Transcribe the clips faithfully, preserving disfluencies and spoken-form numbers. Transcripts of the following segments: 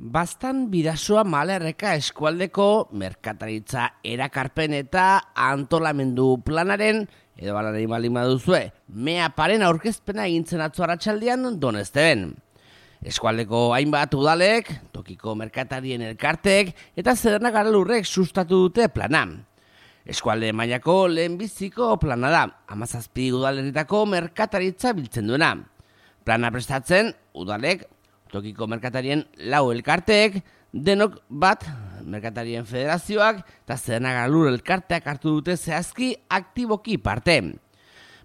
Bastan Bidasoa Malerreka eskualdeko merkataritza erakarpen eta antolamendu planaren, edo balanari baldin baduzue, meaparen aurkezpena egintzen atzo arratsaldean Donezteben. Eskualdeko hainbat udalek, tokiko merkatarien elkartek eta Zederna Garalurrek sustatu dute plana. Eskualde mailako lehenbiziko plana da, hamazazpi udalerritako merkataritza biltzen duena. Plana prestatzen, udalek, tokiko merkatarien lau elkarteek, denok bat, merkatarien federazioak eta Zederna Garalur elkarteak hartu dute zehazki aktiboki parte.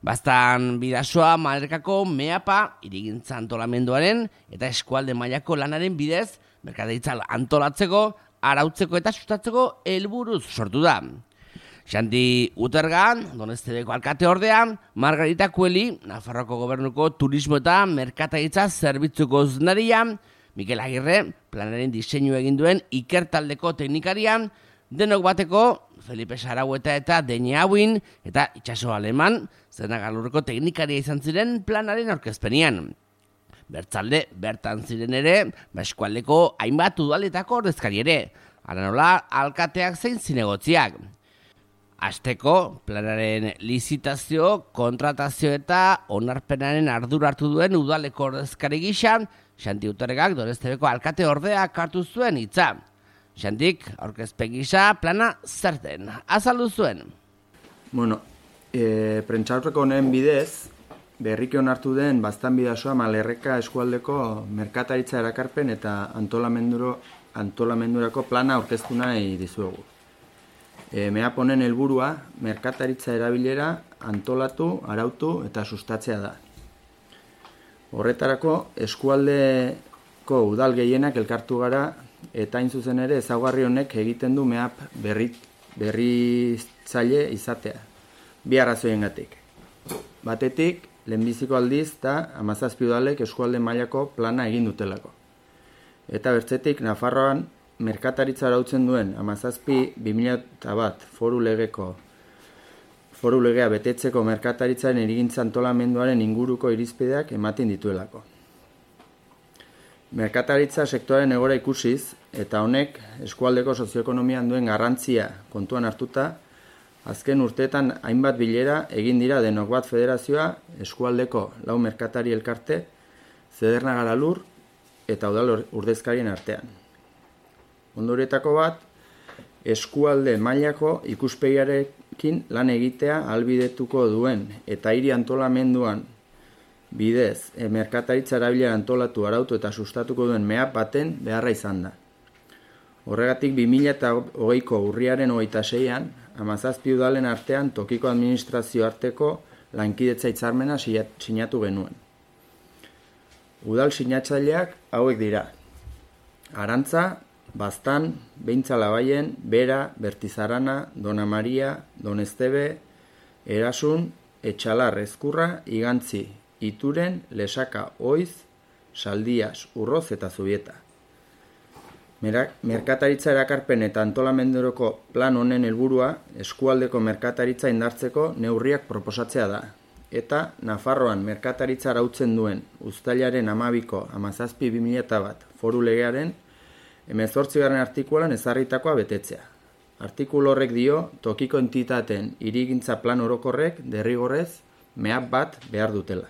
Bastan Bidasoa Malerrekako meapa hirigintza antolamenduaren eta eskualde mailako lanaren bidez merkataritza antolatzeko, arautzeko eta sustatzeko helburuz sortu da. Xanti Utergan, Doneztebeko alkate ordean, Margarita Kueli, Nafarroako gobernuko turismo eta merkataritza zerbitzuko zuzendaria, Mikel Agirre, planaren diseinu egin duen ikertaldeko teknikarian, denok bateko Felipe Saraueta eta Deñe Hauin eta Itxaso Aleman, Zederna Garalurreko teknikaria izan ziren planaren aurkezpenian. Bertzalde, bertan ziren ere, eskualdeko hainbat udaletako ordezkari ere, hala nola alkateak zein zinegotziak. Asteko, planaren lizitazio, kontratazio eta onarpenaren ardura hartu duen udaleko ordezkari gisa, Xanti Utergak Doneztebeko alkate ordeak hartu zuen hitza. Xantik, aurkezpen gisa, plana zerten, azaldu zuen. Bueno, e, prentsaurreko honen bidez, berriki onartu den Bastan Bidasoa Malerreka eskualdeko merkataritza erakarpen eta antolamenduro, antolamendurako plana aurkeztu nahi dizuegu. E, meap honen helburua merkataritza erabilera antolatu, arautu eta sustatzea da. Horretarako eskualdeko udal gehienak elkartu gara eta hain zuzen ere ezaugarri honek egiten du meap berri, berritzaile izatea. Bi arrazoiengatik. Batetik, lehenbiziko aldiz eta hamazazpi udalek eskualde mailako plana egin dutelako. Eta bertzetik, Nafarroan merkataritza arautzen duen hamazazpi bi mila bat foru legeko foru legea betetzeko merkataritzaren erigintza antolamenduaren inguruko irizpideak ematen dituelako. Merkataritza sektorearen egora ikusiz eta honek eskualdeko sozioekonomian duen garrantzia kontuan hartuta, azken urteetan hainbat bilera egin dira denok bat federazioa, eskualdeko lau merkatari elkarte, Zederna Garalur eta udal ordezkarien artean. Ondorietako bat, eskualde mailako ikuspegiarekin lan egitea ahalbidetuko duen eta hiri antolamenduan bidez e, merkataritza erabilera antolatu, arautu eta sustatuko duen meap baten beharra izan da. Horregatik bi mila hogeiko urriaren hogeita seian, hamazazpi udalen artean tokiko administrazio arteko lankidetza hitzarmena sinatu genuen. Udal sinatzaileak hauek dira: Arantza, Bastan, Behintzalabaien, Bera, Bertizarana, Dona Maria, Doneztebe, Erasun, Etxalar, Ezkurra, Igantzi, Ituren, Lesaka, Oiz, Saldias, Urroz eta Zubieta. Merkataritza erakarpen eta antolamenduroko plan honen helburua eskualdeko merkataritza indartzeko neurriak proposatzea da. Eta Nafarroan merkataritza arautzen duen uztailaren hamabiko hamazazpi bi mila bat foru legearen hemezortzigarren artikuluan ezarritakoa betetzea. Artikulu horrek dio tokiko entitateen hirigintza plan orokorrek derrigorrez meap bat behar dutela.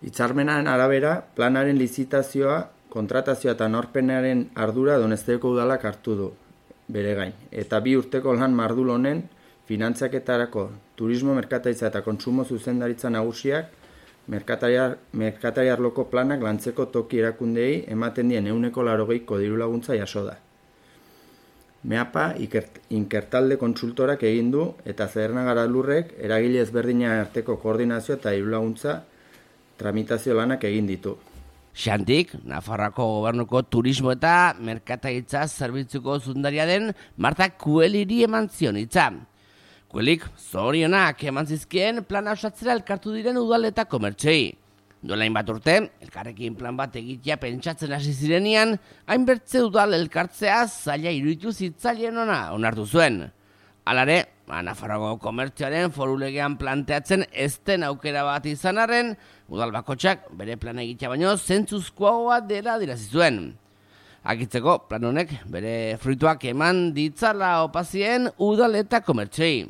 Hitzarmenaren arabera, planaren lizitazioa, kontratazioa eta norpenaren ardura Doneztebeko udalak hartu du bere gain. Eta bi urteko lan mardul honen finantzaketarako turismo, merkataritza eta kontsumo zuzendaritza nagusiak merkatari arloko planak lantzeko toki erakundei ematen dien ehuneko laurogeiko diru laguntza jaso da. Meapa inkertalde kontsultorak egin du eta Zederna Garalurrek eragile ezberdina arteko koordinazio eta diru laguntza tramitazio lanak egin ditu. Xantik, Nafarroako gobernuko turismo eta merkataritza zerbitzuko zuzendaria den Marta Kueliri eman zion hitza. Kuelik zorionak eman zizkien plana osatzera elkartu diren udal eta komertxei. Duela hainbat urte, elkarrekin plan bat egitea pentsatzen hasi zirenean, hainbertze udal elkartzea zaila iruditu zitzaileen ona onartu zuen. Halare, Nafarroako komertzioaren foru legean planteatzen ez den aukera bat izan arren, udal bakotxak bere plana egitea baino zentzuzkoagoa dela adierazi zuen. Akitzeko, plan honek bere fruituak eman ditzala opazien udal eta komertxei.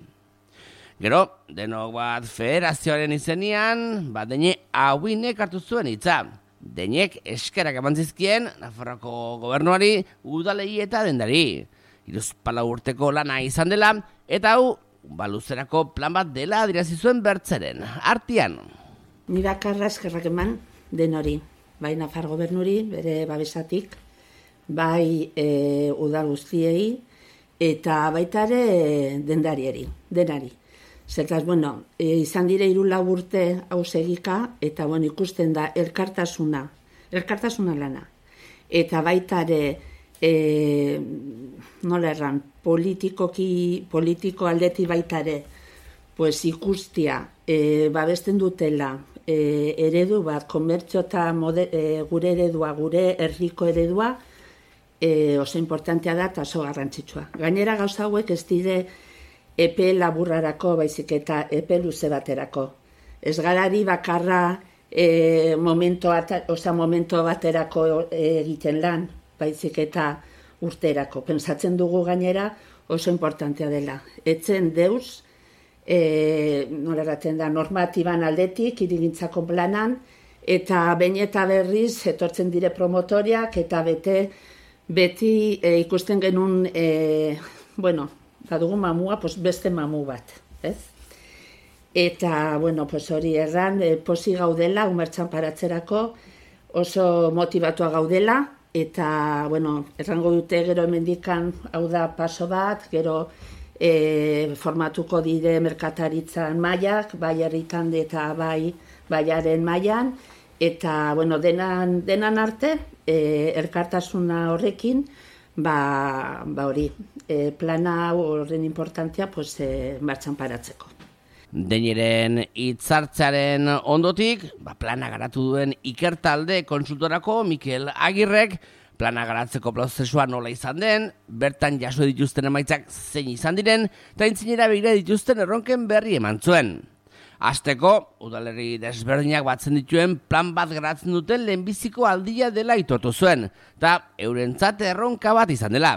Gero, denok bat federazioaren izenian, bat deine hauinek hartu zuen hitza. Deinek eskerak eman zizkien Nafarroako gobernuari, udalei eta dendari. Hiruzpalau urteko lana izan dela, eta hau, baluzerako plan bat dela adirazi zuen bertzeren. Artian. Ni bakarra eskerrak eman denori, bai Nafar gobernuri, bere babesatik, bai e, udal guztiei, eta baita ere dendarieri, denari. Zertaz, bueno, e, izan dire hiru lau urte hau segika, eta bueno, ikusten da elkartasuna, elkartasuna lana. Eta baita ere, e, nola erran, politikoki, politiko aldeti baita ere, pues ikustia, e, babesten dutela, e, eredu bat, komertzio eta mode, e, gure eredua, gure herriko eredua, e, oso importantea da eta oso garrantzitsua. Gainera gauza hauek ez dire epe laburrarako, baizik eta epe luze baterako. Ez garari bakarra e, momento, ata, oza, momento baterako egiten lan, baizik eta urterako. Pentsatzen dugu gainera oso importantea dela. Etzen deus, e, nola eraten da, normatiban aldetik, hirigintzako planan, eta behin eta berriz etortzen dire promotoriak, eta bete, beti e, ikusten genuen, e, bueno, badugu mamua, pues beste mamu bat, ez? Eta, bueno, pues hori erran, e, posi gaudela, umertxan paratzerako, oso motibatua gaudela, eta, bueno, errango dute gero hemendikan hau da paso bat, gero e, formatuko dire merkataritzan mailak, bai herritan eta bai baiaren mailan, eta, bueno, denan, denan arte, e, elkartasuna horrekin, ba, ba hori, e, plana horren importantzia pues, e, martxan paratzeko. Deineren hitzartzearen ondotik, ba, plana garatu duen ikertalde konsultorako Mikel Agirrek plana garatzeko prozesua nola izan den, bertan jaso dituzten emaitzak zein izan diren, eta intzinera begira dituzten erronken berri eman zuen. Hasteko, udalerri desberdinak batzen dituen plan bat garatzen duten lehenbiziko aldia dela aitortu zuen, eta eurentzat erronka bat izan dela.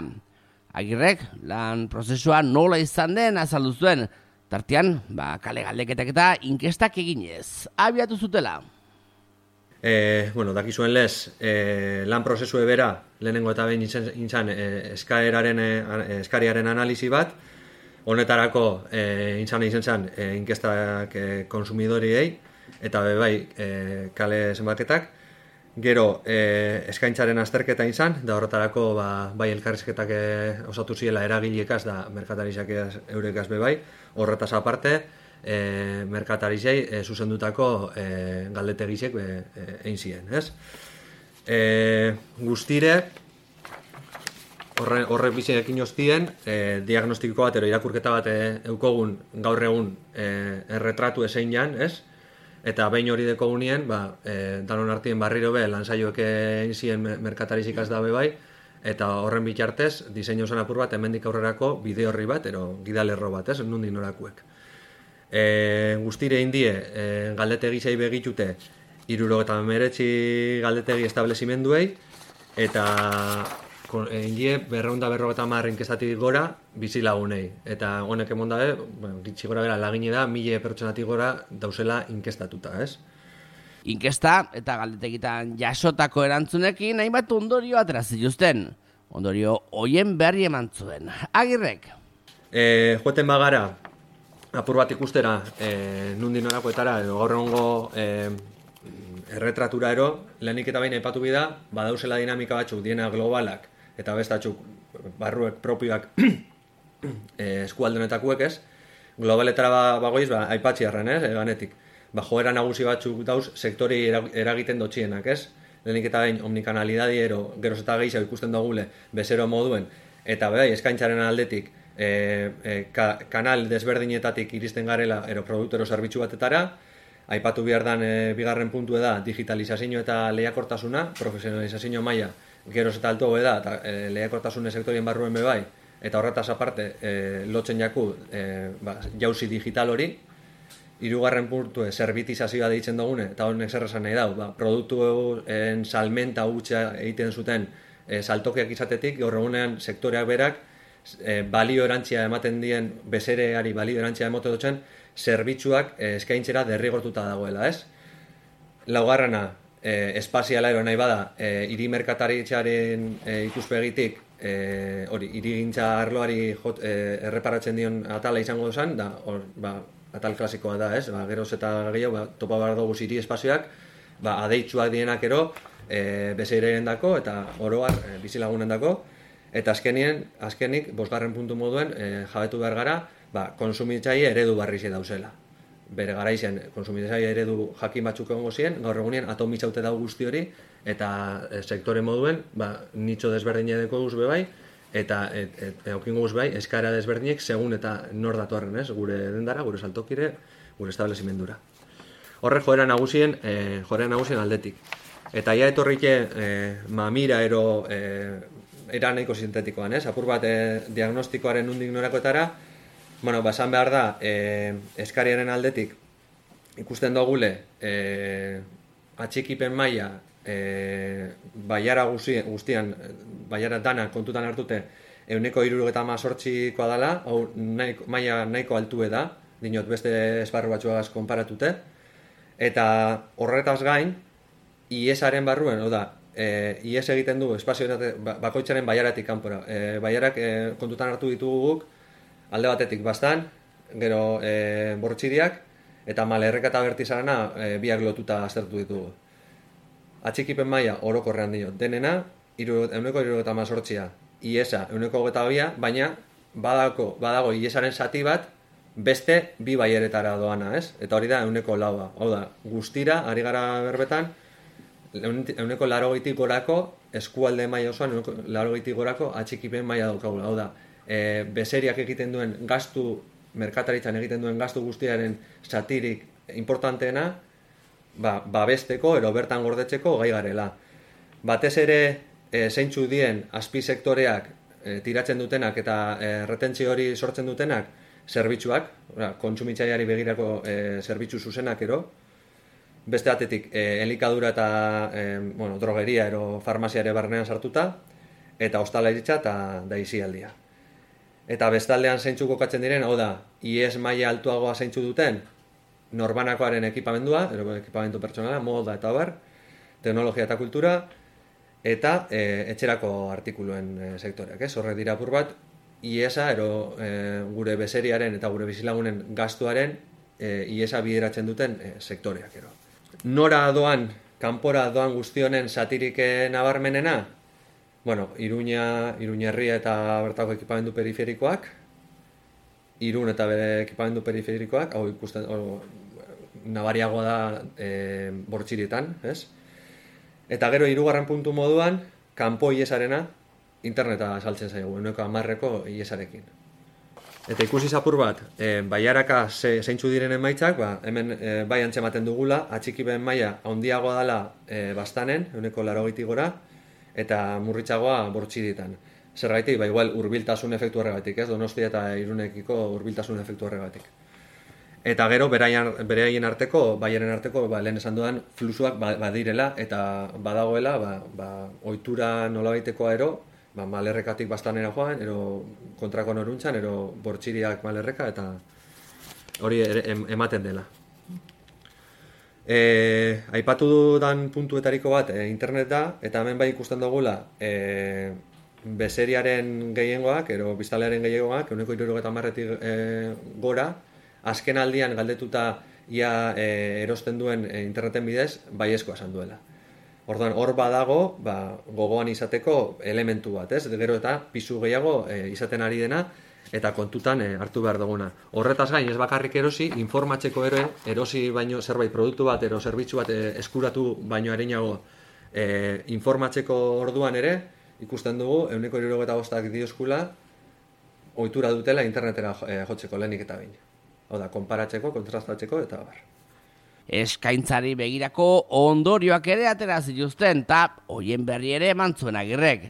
Agirrek, lan prozesua nola izan den azaldu zuen, tartean, ba, kale galdeketak eta inkestak eginez, abiatu zutela. E, bueno, dakizuen lez, e, lan prozesu ebera, lehenengo eta behin intzan e, eskaeraren, e, eskariaren analizi bat, honetarako e, intzan izan zen e, inkestak e, konsumidoriei, eta be bai e, kale zenbaketak, gero e, eskaintzaren azterketa izan, da horretarako ba, bai elkarrizketak e, osatu ziela eragileekaz da merkatarizak eurekaz be bai, horretaz aparte, e, merkatarizei e, zuzendutako e, galdetegisek e, e, egin ziren, ez? E, guztire, horre, horre bizinekin oztien, e, diagnostiko bat, ero irakurketa bat e, eukogun gaur egun e, erretratu ezein jan, ez? Eta behin hori deko unien, ba, e, danon artien barriro be, lansaioek egin ziren merkatarizikaz dabe bai, eta horren bitartez, diseinu zen apur bat, hemendik aurrerako bide horri bat, ero gidalerro bat, ez? Nundik norakuek. E, guztire indie, e, galdetegi zei begitute, iruro eta meretzi galdetegi establezimenduei, eta indie berreunda berrogeta marrin kestatik gora bizilagunei. Eta honek emon dabe, bueno, gitxi gora bera lagine da, mila pertsonatik gora dauzela inkestatuta, ez? Inkesta eta galdetegitan jasotako erantzunekin hainbat ondorio atrazituzten. Ondorio hoien berri eman zuen. Agirrek. E, joeten bagara, apur bat ikustera, e, nundi norakoetara, edo gaur egongo e, erretratura ero, lehenik eta behin aipatu bida, badauzela dinamika batzuk diena globalak, eta bestatzuk barruek propioak e, eskualdenetakuek ez, globaletara ba, bagoiz, ba, aipatzi arren ez, eganetik. Ba, joera nagusi batzuk dauz sektori eragiten dotxienak ez, lehenik eta behin omnikanalidadi ero, geroz eta gehiago ikusten dugule bezero moduen, eta bai, eskaintzaren aldetik, e, e, ka, kanal desberdinetatik iristen garela ero produktero zerbitzu batetara, aipatu behar dan e, bigarren puntu da digitalizazio eta lehiakortasuna, profesionalizazio maila geroz eta alto da, eta e, lehiakortasune sektorien barruen be bai, eta horretaz aparte e, lotzen jaku e, ba, jauzi digital hori, hirugarren puntu zerbitizazioa deitzen dugune, eta honek zer esan nahi dau, ba, produktuen salmenta hutsa egiten zuten e, saltokiak izatetik, gaur egunean sektoreak berak e, balio erantzia ematen dien, bezereari balio erantzia ematen dutzen, zerbitzuak e, eskaintzera derrigortuta dagoela, ez? Laugarrena, e, espaziala ero nahi bada, e, hiri merkataritzaren e, ikuspegitik, E, hori, hirigintza arloari jot, e, erreparatzen dion atala izango zen, da, or, ba, atal klasikoa da, ez? Ba, geroz eta gehiago, ba, topa behar dugu hiri espazioak, ba, adeitzuak dienak ero, e, bezeiren dako, eta oroar e, bizilagunen dako, eta azkenien, azkenik, bosgarren puntu moduen, e, jabetu behar gara, ba, konsumitzaile eredu barrize dauzela. Bere gara izan, konsumitzaile eredu jakin batzuk egongo ziren, gaur egunien atomitzaute dago guzti hori, eta e, sektore moduen, ba, nitxo desberdine deko guz bai, eta et, et, eukingo guz bai, eskara desberdinek segun eta nor datuarren, ez? Gure dendara, gure saltokire, gure establezimendura. Horre joera nagusien, e, joera nagusien aldetik. Eta ja etorrike e, mamira ero e, era nahiko sintetikoan, ez? Apur bat e, diagnostikoaren nundik norakoetara, bueno, basan behar da, e, eskariaren aldetik ikusten dugule e, atxikipen maila e, baiara guztian, baiara dana kontutan hartute euneko hirurogeita hamazortzikoa dela, hau nahiko, maila nahiko altue da, dinot beste esparru batzuagaz konparatute, eta horretaz gain, iesaren barruen, hau da, e, ies egiten du espazio bakoitzaren baiaratik kanpora. E, baiarak e, kontutan hartu ditugu guk, alde batetik bastan, gero e, bortxidiak, eta malerreka eta bertizarana e, biak lotuta aztertu ditugu. Atxikipen maila orokorrean dio, denena, euneko hirurogeita hamazortzia, iesa euneko hogeita bia, baina badako, badago iesaren zati bat, beste bi baieretara doana, ez? Eta hori da euneko laua. Hau da, guztira, ari gara berbetan, euneko larogeitik gorako, eskualde maila osoan, euneko larogeitik gorako atxikipen maila daukagula. Hau da, e, bezeriak egiten duen gastu, merkataritzan egiten duen gastu guztiaren zatirik importanteena, ba, babesteko, ero bertan gordetzeko gai garela. Batez ere, e, zeintzu dien azpisektoreak e, tiratzen dutenak eta e, retentzio hori sortzen dutenak, zerbitzuak, kontsumitzaileari begirako e, zerbitzu zuzenak ero, beste batetik e, elikadura eta e, bueno, drogeria ero farmaziare barnean sartuta, eta ostalaritza eta daizialdia. Eta bestaldean zeintzu kokatzen diren, hau da, ies maila altuagoa zeintzu duten, norbanakoaren ekipamendua, ero ekipamendu pertsonala, moda eta bar, teknologia eta kultura, eta e, etxerako artikuluen e, sektoreak, ez? Horre dira apur bat, iesa, ero e, gure bezeriaren eta gure bizilagunen gastuaren e, iesa bideratzen duten e, sektoreak, ero. Nora doan, kanpora doan guztionen satirik nabarmenena? Bueno, Iruña, Iruñerria eta bertako ekipamendu periferikoak, Irun eta bere ekipamendu periferikoak, hau ikusten, hau, nabariagoa da e, bortxirietan, ez? Eta gero hirugarren puntu moduan, kanpo iesarena, interneta saltzen zaigu, euneko hamarreko iesarekin. Eta ikusi zapur bat, e, baiaraka ze, zeintzu diren emaitzak, ba, hemen e, bai antzematen dugula, atxikipen maila handiagoa dela e, bastanen, euneko larogeitik gora, eta murritzagoa bortxirietan. Zergaitik, ba, igual, hurbiltasun efektu horregatik, ez? Donostia eta Irunekiko hurbiltasun efektu horregatik. Eta gero, beraien arteko, baiaren arteko, ba, lehen esan dudan, fluxuak badirela, eta badagoela, ba, ba, ohitura nolabaitekoa ero, ba, malerrekatik bastanera joan, ero kontrako noruntzan, ero bortxiriak malerreka, eta hori ematen dela. E, aipatu dudan puntuetariko bat e, internet da, eta hemen bai ikusten dugula, e, bezeriaren gehiengoak, ero biztalearen gehiengoak, euneko hirurogeita hamarretik e, gora, azken aldian galdetuta ia e, erosten duen e, interneten bidez, baiezkoa esan duela. Orduan, hor badago, ba, gogoan izateko elementu bat, ez? Gero eta pisu gehiago e, izaten ari dena, eta kontutan e, hartu behar duguna. Horretaz gain, ez bakarrik erosi, informatzeko ere, erosi baino zerbait produktu bat, ero zerbitzu bat e, eskuratu baino arinago e, informatzeko orduan ere, ikusten dugu, euneko hirurogeita bostak dioskula, ohitura dutela internetera jotzeko lehenik eta bain. Hau da, konparatzeko, kontrastatzeko eta bar. Eskaintzari begirako ondorioak ere atera zituzten, eta hoien berri ere eman zuen Agirrek.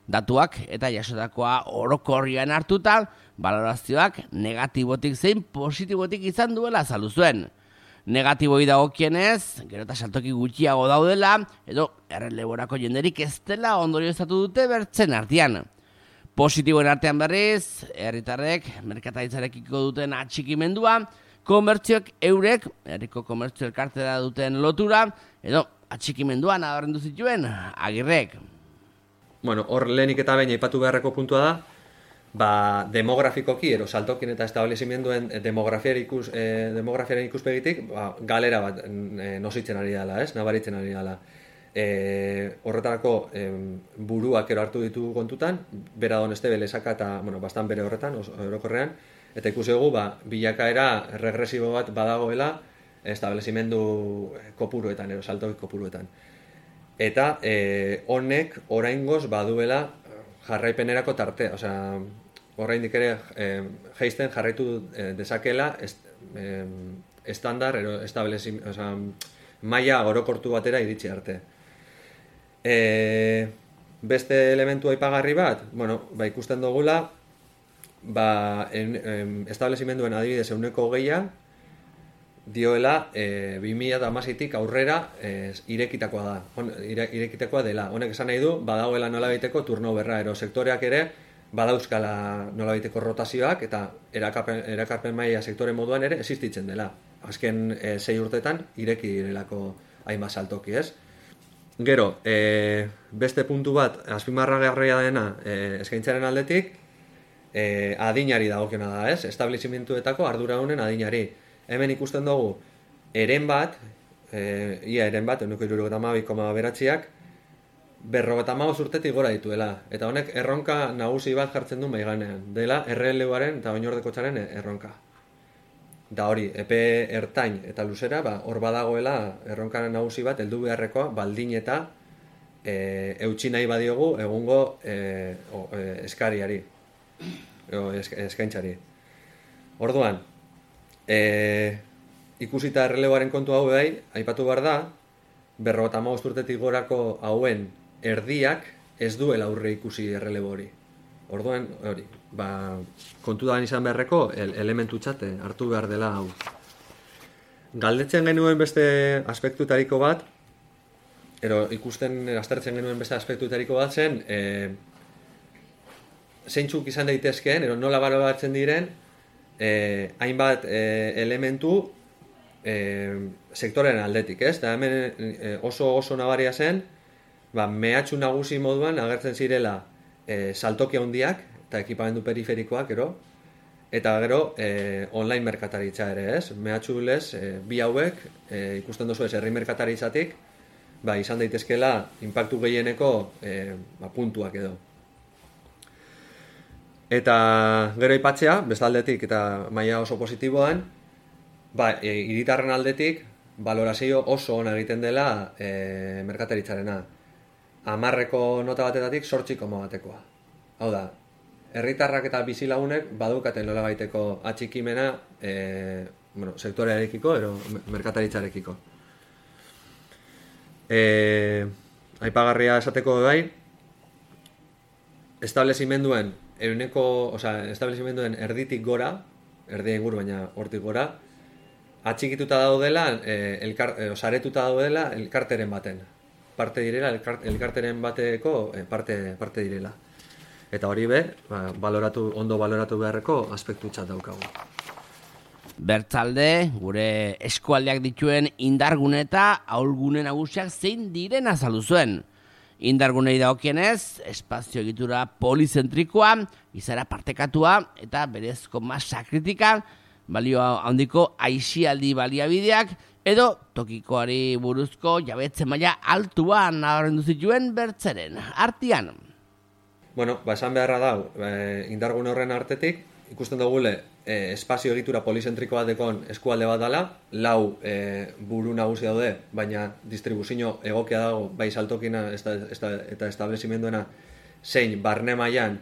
Datuak eta jasotakoa orokorrian hartuta, balorazioak negatibotik zein positibotik izan duela azaldu zuen. Negatiboi dagokienez, gero eta saltoki gutxiago daudela, edo erreleborako jenderik ez dela ondorioztatu dute bertzen artean. Positiboen artean berriz, herritarrek merkataritzarekiko duten atxikimendua, komertzioek eurek, herriko komertzio elkartera duten lotura, edo atxikimendua nabarmendu zituen Agirrek. Bueno, hor lehenik eta behin aipatu beharreko puntua da, ba, demografikoki, ero saltokin eta establezimenduen demografiaren ikus, eh, demografiaren ikuspegitik, ba, galera bat eh, nositzen ari dela, ez? Nabaritzen ari dela. E, horretarako e, buruak ero hartu ditugu kontutan, bera doneste belezaka eta, bueno, bastan bere horretan, orokorrean, eta ikusi dugu, ba, bilakaera regresibo bat badagoela establezimendu kopuruetan, ero saltoki kopuruetan. Eta e, honek oraingoz baduela jarraipenerako tartea, osea, oraindik ere e, jaisten jarraitu e, dezakela est, e, estandar, ero establezim, osea, maila orokortu batera iritsi arte. E, beste elementu aipagarri bat, bueno, ba, ikusten dugula, ba, en, en, establezimenduen adibidez euneko geia, dioela e, bi mila hamaseitik aurrera e, irekitakoa da, on, ire, irekitakoa dela. Honek esan nahi du, badagoela nolabaiteko turnoverra, ero sektoreak ere badauzkala nolabaiteko rotazioak eta erakarpen, erakarpen maila sektore moduan ere existitzen dela. Azken e, sei urtetan ireki direlako hainbat saltoki, ez? Gero, e, beste puntu bat, azpimarragarria dena e, eskaintzaren aldetik, e, adinari dagokiona da, ez? Establezimientuetako ardura honen adinari. Hemen ikusten dugu, eren bat, e, ia eren bat, euneko hirurogeita hamabi koma bederatziak, berrogeita hamabost urtetik gora dituela. Eta honek erronka nagusi bat jartzen du maiganean. Dela erreleuaren eta oinordekotxaren erronka. Da hori, epe ertain eta luzera, ba, hor badagoela erronka nagusi bat, heldu beharrekoa, baldin eta e, eutsi nahi badiogu egungo e, o, e, eskariari, o, esk, eskaintzari. Orduan, E, ikusita erreleboaren kontu hau bai, aipatu behar da, berrogeita hamabost urtetik gorako hauen erdiak ez duela aurre ikusi errelebo hori. Orduan, hori, ba, kontu da izan beharreko el, elementu txate hartu behar dela hau. Galdetzen genuen beste aspektutariko bat, ero ikusten aztertzen genuen beste aspektutariko bat zen, e, zeintzuk izan daitezkeen, ero nola baloratzen diren, Eh, hainbat eh, elementu eh, sektoren aldetik, ez? Da hemen eh, oso oso nabaria zen, ba, mehatxu nagusi moduan agertzen zirela eh, saltoki handiak eta ekipamendu periferikoak, gero, eta gero eh, online merkataritza ere, ez? Mehatxu lez, eh, bi hauek eh, ikusten duzu ez herri merkataritzatik, ba, izan daitezkela inpaktu gehieneko eh, ba, puntuak edo. Eta gero aipatzea, bestaldetik eta maila oso positiboan, ba, e, hiritarren aldetik, balorazio oso ona egiten dela e, merkataritzarena. Hamarreko nota batetatik zortzi koma batekoa. Hau da, herritarrak eta bizilagunek badukaten nolabaiteko atxikimena e, bueno, sektorearekiko, ero merkataritzarekiko. E, aipagarria esateko bai, establezimenduen euneko, osea, establezimenduen erditik gora, erdi inguru baina hortik gora, atxikituta daudela, eh, elkar, eh, saretuta daudela elkarteren baten. Parte direla, elkar, elkarteren bateko eh, parte, parte direla. Eta hori be, ba, baloratu, ondo baloratu beharreko aspektu txat daukagu. Bertzalde, gure eskualdeak dituen indargune eta ahulgune nagusiak zein diren azaldu zuen. Indargunei dagokienez, espazio egitura polizentrikoa, izara partekatua eta berezko masa kritika, balio handiko aisialdi baliabideak edo tokikoari buruzko jabetze maila altua nabarmendu zituen bertzeren artean. Bueno, ba, esan beharra da, e, indargune horren artetik, ikusten dugule e, espazio egitura polizentrikoa dekon eskualde bat dela, lau e, buru nagusi daude, baina distribuzio egokia dago, bai saltokina esta, esta, eta establezimenduena zein barne mailan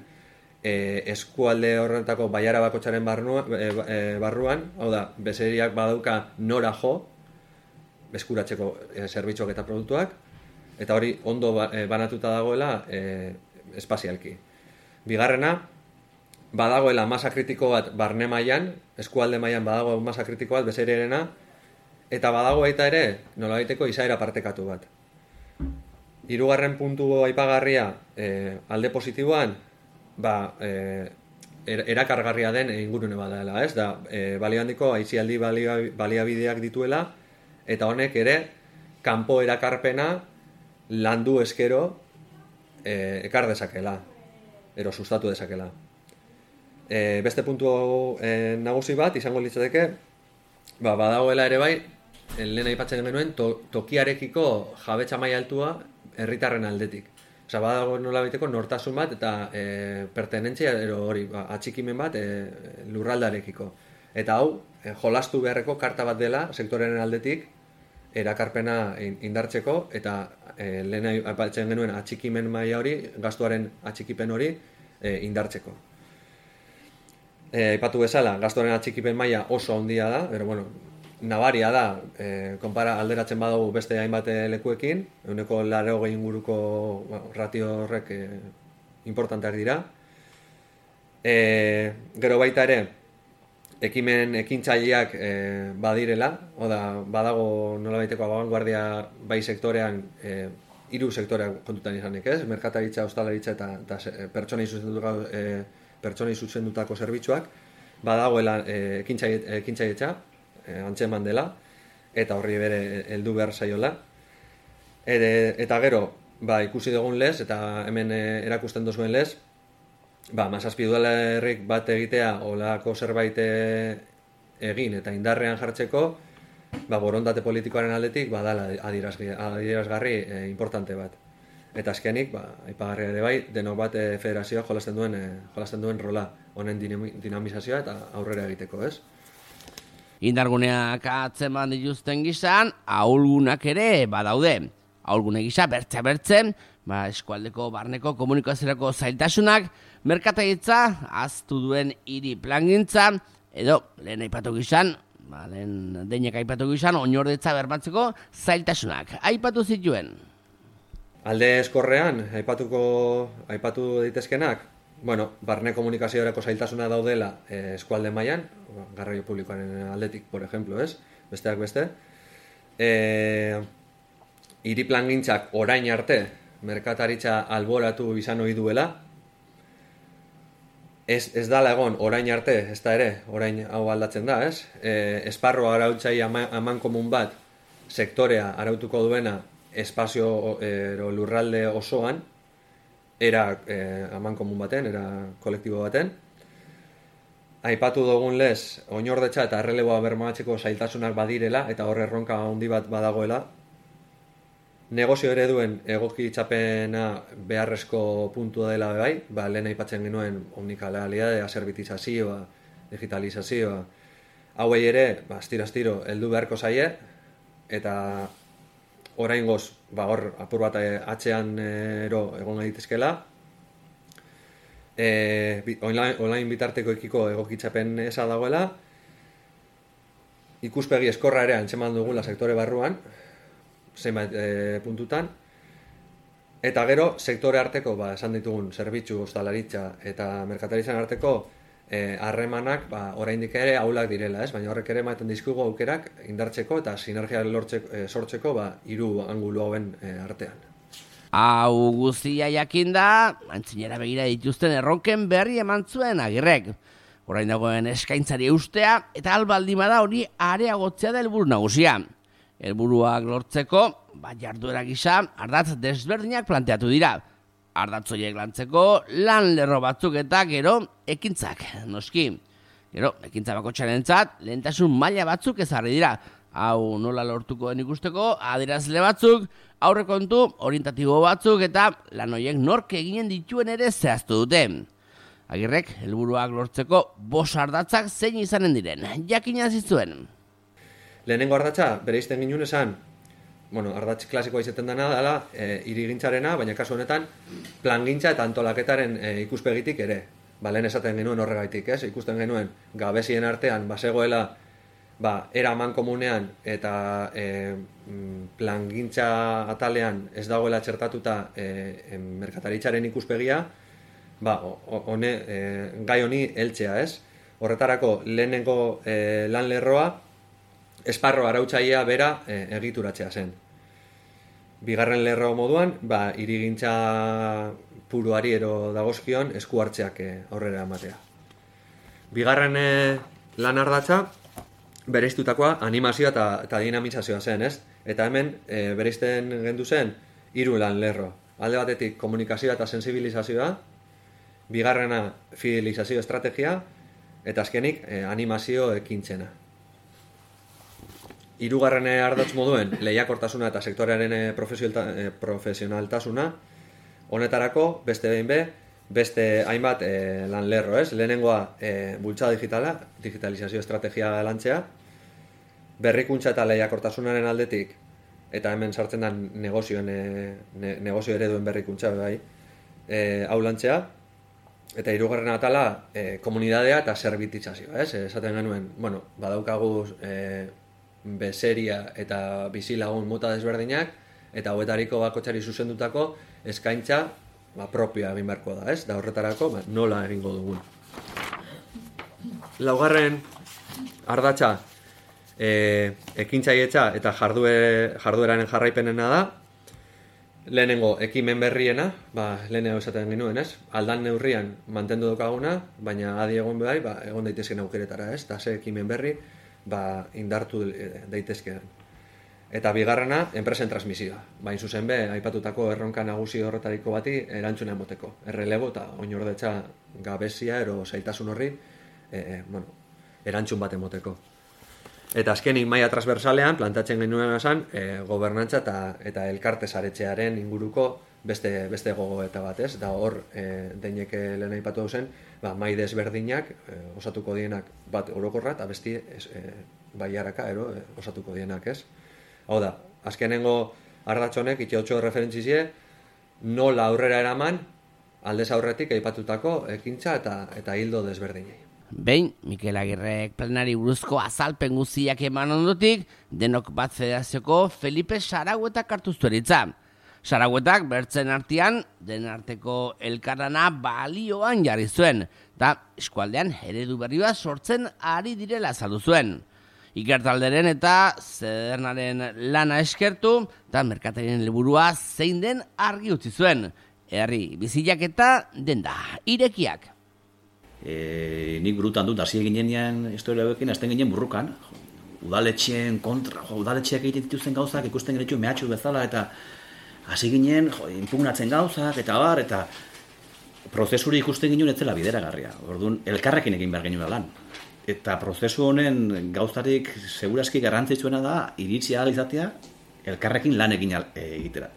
e, eskualde horretako baiara bakotxaren barnua, e, e, barruan, hau da, bezeriak badauka nora jo, eskuratzeko e, zerbitzuak eta produktuak, eta hori ondo ba, e, banatuta dagoela e, espazialki. Bigarrena, badagoela masa kritiko bat barne mailan, eskualde mailan badago masa kritiko bat bezererena, eta badago baita ere nolabaiteko izaera partekatu bat. Hirugarren puntu aipagarria e, alde positiboan, ba, e, er, erakargarria den ingurune badala, ez? Da, e, balio handiko aisialdi baliabideak dituela, eta honek ere kanpo erakarpena landu eskero e, ekar dezakela, ero sustatu dezakela. E, beste puntu e, nagusi bat izango litzateke, ba, badagoela ere bai, lehen aipatzen genuen, to, tokiarekiko jabetza maila altua herritarren aldetik. Osa, badago nolabaiteko nortasun bat eta e, pertenentzia ero hori, ba, atxikimen bat e, lurraldarekiko. Eta hau, e, jolastu beharreko karta bat dela sektorearen aldetik erakarpena indartzeko eta e, lehen aipatzen genuen atxikimen maila hori, gastuaren atxikipen hori e, indartzeko. E, aipatu bezala, gastuaren atxikipen maila oso handia da, pero bueno, nabaria da, e, konpara alderatzen badago beste hainbat lekuekin, ehuneko laurogei inguruko bueno, ratio horrek e, importanteak dira. E, gero baita ere, ekimen ekintzaileak e, badirela, oda, badago nolabaiteko abanguardia bai sektorean, e, hiru sektoreak kontutan izanik, ez? Merkataritza, ostalaritza eta, eta pertsonei zuzendutako, e, pertsonei zuzendutako zerbitzuak, badagoela e, ekintzailetza, E, antzeman dela, eta horri bere heldu behar zaiola. Ere, eta gero, ba, ikusi dugun lez, eta hemen e, erakusten duzuen lez, ba, mazazpi udalerrik bat egitea, olako zerbait egin eta indarrean jartzeko, ba, borondate politikoaren aldetik, ba, dala adierazgarri e, importante bat. Eta azkenik, ba, aipagarria ere bai, denok bat e, federazioa jolasten duen, e, jolasten duen rola, honen dinamizazioa eta aurrera egiteko, ez? Indarguneak atzeman dituzten gizan, ahulgunak ere badaude. Ahulgune gisa bertze bertzen, ba, eskualdeko barneko komunikaziorako zailtasunak, merkataritza, aztu duen hiri plangintza, edo lehen aipatu gizan, ba, lehen deinek aipatu gizan, oinordetza bermatzeko zailtasunak. Aipatu zituen. Alde eskorrean, aipatuko, aipatu daitezkenak, bueno, barne komunikaziorako zailtasuna daudela eh, eskualde mailan, garraio publikoaren aldetik, por ejemplo, ez? Besteak beste. Eh, hiri plangintzak orain arte, merkataritza alboratu izan ohi duela, ez, ez dala egon orain arte, ez da ere, orain hau aldatzen da, ez? Eh, esparro arautzai aman komun bat, sektorea arautuko duena, espazio eh, lurralde osoan, era eh, aman komun baten, era kolektibo baten. Aipatu dugun lez, oinordetza eta erreleboa bermatzeko zailtasunak badirela, eta horre erronka handi bat badagoela. Negozio ereduen egokitzapena beharrezko puntua dela bai, ba, lehen aipatzen genuen omnikanalidadea, zerbitizazioa, digitalizazioa. Hauei ere, ba, astiro-astiro, heldu beharko zaie, eta oraingoz, ba, hor apur bat atzean ero egon daitezkeela. E, online, online bitarteko ekiko egokitzapen eza dagoela. Ikuspegi eskorra ere antzeman dugula sektore barruan, zenbait e, puntutan. Eta gero, sektore arteko, ba, esan ditugun, zerbitzu, ostalaritza eta merkataritzan arteko harremanak, ba, oraindik ere ahulak direla, ez? Baina horrek ere ematen dizkigu aukerak indartzeko eta sinergia lortzeko, e, sortzeko, ba, hiru angulu hauen e, artean. Hau guztia jakinda, antzinera begira dituzten erronken berri eman zuen Agirrek. Orain dagoen eskaintzari eustea eta albaldi bada hori areagotzea da helburu nagusia. Helburuak lortzeko, ba, jarduera gisa ardatz desberdinak planteatu dira. Ardatzoiek lantzeko lan lerro batzuk eta gero ekintzak, noski. Gero, ekintza bakotxarentzat lehentasun maila batzuk ezarri dira. Hau nola lortuko den ikusteko, adierazle batzuk, aurrekontu, orientatibo batzuk eta lan horiek nork eginen dituen ere zehaztu dute. Agirrek, helburuak lortzeko bost ardatzak zein izanen diren, jakina zizuen. Lehenengo ardatza, bere izten ginen esan, bueno, ardatz klasikoa izaten dena dela, e, irigintzarena, baina kasu honetan, plangintza eta antolaketaren e, ikuspegitik ere. Ba, lehen esaten genuen horregaitik, ez? Ikusten genuen, gabezien artean, bazegoela, ba, era aman komunean eta e, plangintza atalean ez dagoela txertatuta e, merkataritzaren ikuspegia, ba, one, e, gai honi heltzea, ez? Horretarako, lehenengo e, lan lerroa, esparro arautzailea bera e, egituratzea zen. Bigarren lerro moduan, ba, hirigintza puruari ero dagozkion esku hartzeak e, aurrera ematea. Bigarren e, lan ardatza, bereiztutakoa animazioa eta, eta dinamizazioa zen, ez? Eta hemen e, bereizten gendu zen hiru lan lerro. Alde batetik komunikazioa eta sensibilizazioa, bigarrena fidelizazio estrategia, eta azkenik eh, animazio ekintzena. Hirugarren ardatz moduen lehiakortasuna eta sektorearen eh, profesionaltasuna, honetarako beste behin be, beste hainbat eh, lan lerro, ez? Lehenengoa eh, bultzada digitala, digitalizazio estrategia lantzea, berrikuntza eta lehiakortasunaren aldetik, eta hemen sartzen da negozioen, ne, negozio ereduen berrikuntza, bai, e, hau lantzea, eta hirugarren atala e, komunidadea eta zerbitizazioa, ez? Esaten genuen, bueno, badaukagu e, bezeria eta bizilagun mota desberdinak, eta hauetariko bakotzari zuzendutako eskaintza ba, propioa egin beharko da, ez? Da horretarako, ba, nola egingo dugun. Laugarren ardatza, E, ekintzailetza eta jardue, jardueraren jarraipenena da. Lehenengo ekimen berriena, ba, lehenengo esaten genuen, ez? Aldan neurrian mantendu dokaguna, baina adi egon behar, ba, egon daitezken aukeretara, ez? Eta ze ekimen berri, ba, indartu daitezkean. Eta bigarrena, enpresen transmisioa. Bain zuzen be, aipatutako erronka nagusi horretariko bati erantzuna emoteko. Errelebo eta oinordetza gabezia ero zailtasun horri, e, e, bueno, erantzun bat emoteko. Eta azkenik maila transversalean, plantatzen genuen esan, e, gobernantza eta, eta elkarte saretzearen inguruko beste, beste gogoeta bat, ez? Da hor, e, deineke lehen aipatu zen, ba, mai desberdinak e, osatuko dienak bat orokorra, eta besti e, baiaraka ero, e, osatuko dienak, ez? Hau da, azkenengo ardatzonek, itxeotxo referentzizie, nola aurrera eraman, aldez aurretik aipatutako ekintza eta, eta hildo desberdinei. Behin, Mikel Agirrek planari buruzko azalpen guztiak eman ondotik, denok bat federazioko Felipe Saragüetak hartu zueritza. Saragüetak bertzen artean, den arteko elkarlana balioan jarri zuen, eta eskualdean eredu berri bat sortzen ari direla azaldu zuen. Ikertalderen eta zedernaren lana eskertu, eta merkatarien helburua zein den argi utzi zuen. Herri bizilak eta denda irekiak. E, nik burutan dut, hasi ginean historia hauekin, azten ginen burrukan, udaletxeen kontra, jo, udaletxeak egiten dituzten gauzak, ikusten genetxu mehatxu bezala, eta hasi ginen, jo, impugnatzen gauzak, eta bar, eta prozesuri ikusten ginen etzela bideragarria. Orduan, elkarrekin egin behar genuen lan. Eta prozesu honen gauzarik segurazki garrantzitsuena da, iritsi ahal izatea, elkarrekin lan egin egitera.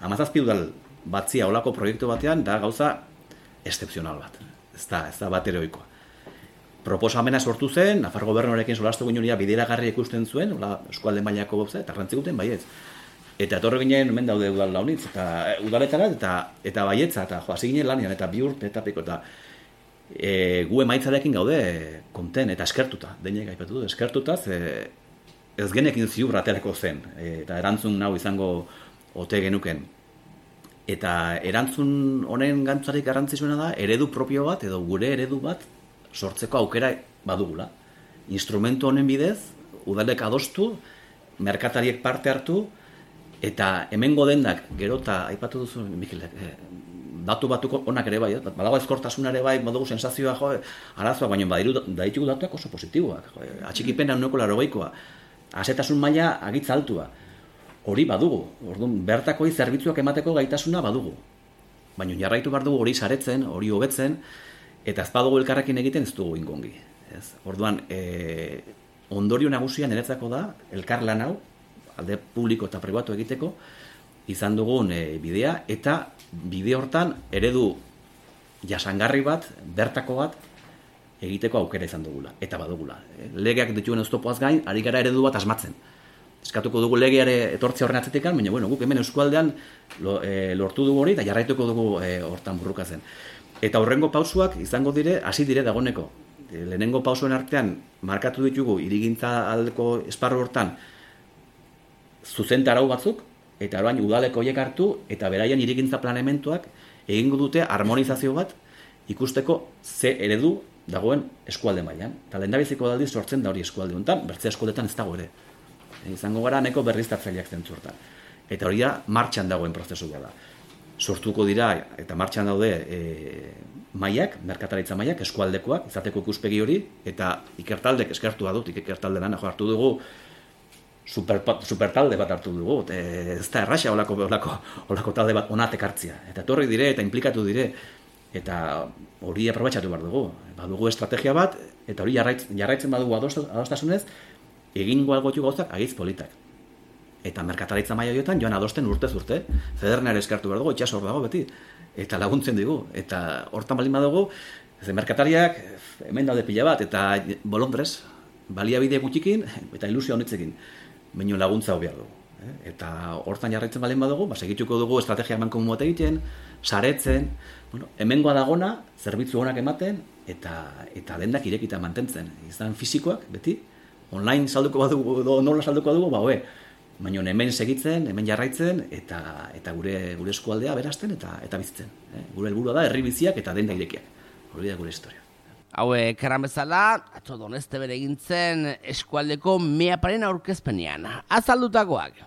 Hamazazpi udal batzia olako proiektu batean, da gauza excepzional bat. Ez da, ez da bat eroikoa. Proposamena sortu zen, Nafar gobernuarekin solastu ginen bideragarri ikusten zuen, hola, eskualde mailako gauza, eta rantzikuten baietz. Eta etorri ginen, hemen daude udal launitz, eta udaletara, eta, eta baietza, eta jo, hasi ginen lanian, eta bi urte, eta piko, eta e, gu emaitzarekin gaude konten, eta eskertuta, deinek aipatu du, eskertuta, ze, ez genekin ziur aterako zen, e, eta erantzun nau izango ote genuken. Eta erantzun honen gantzarik garrantzitsuena da, eredu propio bat, edo gure eredu bat, sortzeko aukera badugula. Instrumentu honen bidez, udalek adostu, merkatariek parte hartu, eta hemengo dendak, gero eta aipatu duzu, Mikel, eh, datu batuko onak ere bai, eh? Badago ezkortasuna ere bai, badugu sensazioa, jo, arazoa, baina badiru daitugu datuak oso positiboak. Jo, atxikipena uneko larogeikoa, azetasun maila agitza altua. Hori badugu, orduan bertakoi zerbitzuak emateko gaitasuna badugu. Baina jarraitu behar dugu hori saretzen, hori hobetzen, eta ez badugu elkarrekin egiten ez dugu ingongi. Ez? Orduan, e, ondorio nagusia niretzako da, elkar lan hau, alde publiko eta pribatu egiteko, izan dugun e, bidea, eta bide hortan eredu jasangarri bat, bertako bat, egiteko aukera izan dugula, eta badugula. E, legeak dituen oztopoaz gain, ari gara eredu bat asmatzen. Eskatuko dugu legeare etortze horren atzetikan, baina bueno, guk hemen eskualdean lo, e, lortu dugu hori eta jarraituko dugu e, hortan burrukatzen. Eta horrengo pausuak izango dire, hasi dire dagoneko. E, lehenengo pausuen artean markatu ditugu hirigintza aldeko esparru hortan zuzentarau batzuk, eta orain udaleko horiek hartu, eta beraien hirigintza planementuak egingo dute harmonizazio bat ikusteko ze eredu dagoen eskualde mailan. Eta lehendabiziko aldiz sortzen da hori eskualde honetan, bertze eskualdetan ez dago ere. izango gara neko berriztatzaileak zentzu hortan. Eta hori da, martxan dagoen prozesu da. Sortuko dira, eta martxan daude e, mailak, merkataritza mailak, eskualdekoak, izateko ikuspegi hori, eta ikertaldek eskertu da dut, ikertalde lan hartu dugu, super, super talde bat hartu dugu, e, ez da erraxa olako, olako, olako talde bat onatek hartzia. Eta torri dire, eta implikatu dire, eta hori aprobetxatu behar dugu. Badugu estrategia bat, eta hori jarraitzen, jarraitzen badugu adostasunez, egingo algotu gauzak agiz politak. Eta merkataritza maila horietan joan adosten urtez urte. Federnare eskartu behar dugu, itxas hor dago beti. Eta laguntzen digu. Eta hortan baldin badugu, ze merkatariak hemen daude pila bat, eta bolondrez, baliabide gutxikin, eta ilusio honetzekin. Baino laguntza hau behar dugu. Eta hortan jarraitzen baldin badugu, ba, segituko dugu estrategia eman komun bat egiten, saretzen, bueno, hemengoa dagona, zerbitzu honak ematen, eta, eta dendak irekita mantentzen. Izan fisikoak, beti, online salduko badugu, nola salduko badugu, ba, hoe, baina hemen segitzen, hemen jarraitzen, eta, eta gure, gure eskualdea berazten eta, eta bizitzen. Eh? Gure helburua da, herri biziak eta denda irekiak. Hori da gure historia. Hauek erran bezala, atzo Doneste bere egintzen eskualdeko meaparen aurkezpenean. Azaldutakoak.